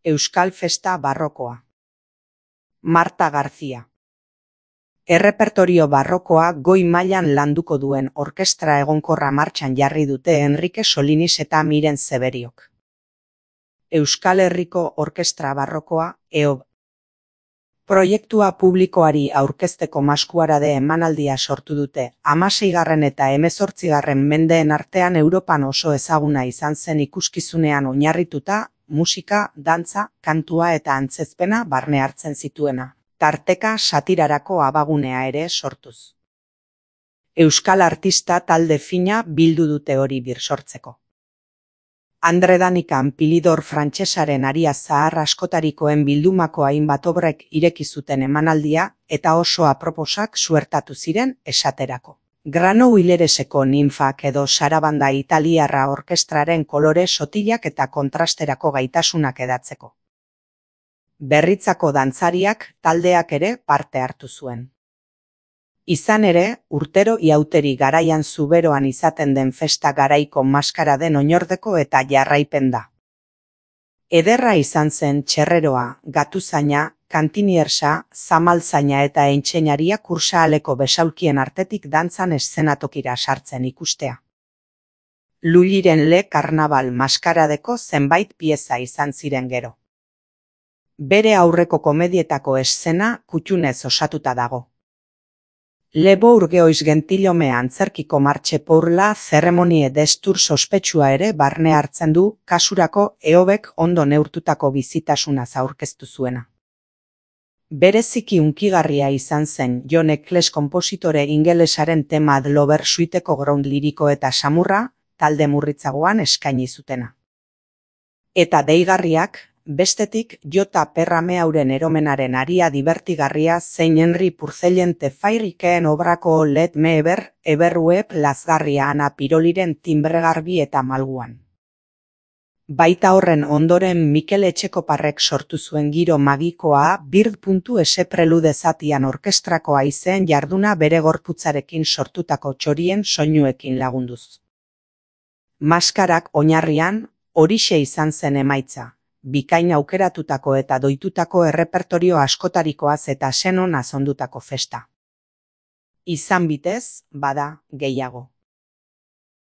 Euskal Festa Barrokoa. Marta García. Errepertorio barrokoa goi mailan landuko duen orkestra egonkorra martxan jarri dute Enrique Solinis eta Miren Zeberiok. Euskal Herriko Orkestra Barrokoa, EOB. Proiektua publikoari aurkezteko Maskuarade emanaldia sortu dute, 16. eta 18. mendeen artean Europan oso ezaguna izan zen ikuskizunean oinarrituta, musika, dantza, kantua eta antzezpena barne hartzen zituena, tarteka satirarako abagunea ere sortuz. Euskal artista talde fina bildu dute hori birsortzeko. Andre Danikan Pilidor frantsesaren aria zahar askotarikoen bildumako hainbat obrek ireki zuten emanaldia eta oso aproposak suertatu ziren esaterako. Grano Hilereseko ninfak edo sarabanda italiarra orkestraren kolore sotilak eta kontrasterako gaitasunak edatzeko. Berritzako dantzariak taldeak ere parte hartu zuen. Izan ere, urtero iauteri garaian Zuberoan izaten den festa garaiko maskaraden oinordeko eta jarraipen da. Ederra izan zen txerreroa, gatuzaina, kantiniersa, zamaltzaina eta entseinaria kursaaleko besaulkien artetik dantzan eszenatokira sartzen ikustea. Lulliren Le Karnabal maskaradeko zenbait pieza izan ziren gero. Bere aurreko komedietako eszena kuttunez osatuta dago. Le Bourgeois gentilhome antzerkiko martxe pourla zeremonie destur sospetsua ere barne hartzen du, kasurako EOBek ondo neurtutako bizitasunaz aurkeztu zuena. Bereziki hunkigarria izan zen John Eccles konpositore ingelesaren tema Ad Lover suiteko ground liriko eta samurra, talde murritzagoan eskaini zutena. Eta deigarriak, bestetik Jota Perrameuren eromenaren aria dibertigarria zein Henry Purcellen Tefairikeen obrako Let Me Eberruep lazgarria Ana Piroliren timbregarbi eta malguan. Baita horren ondoren Mikel Etxekoparrek sortu zuen giro magikoa Bird.S prelude zatian orkestrako haizeen jarduna bere gorputzarekin sortutako txorien soinuekin lagunduz. Maskarak oinarrian horixe izan zen emaitza. Bikain aukeratutako eta doitutako errepertorio askotarikoaz eta senon azondutako festa. Izan bitez, bada, gehiago.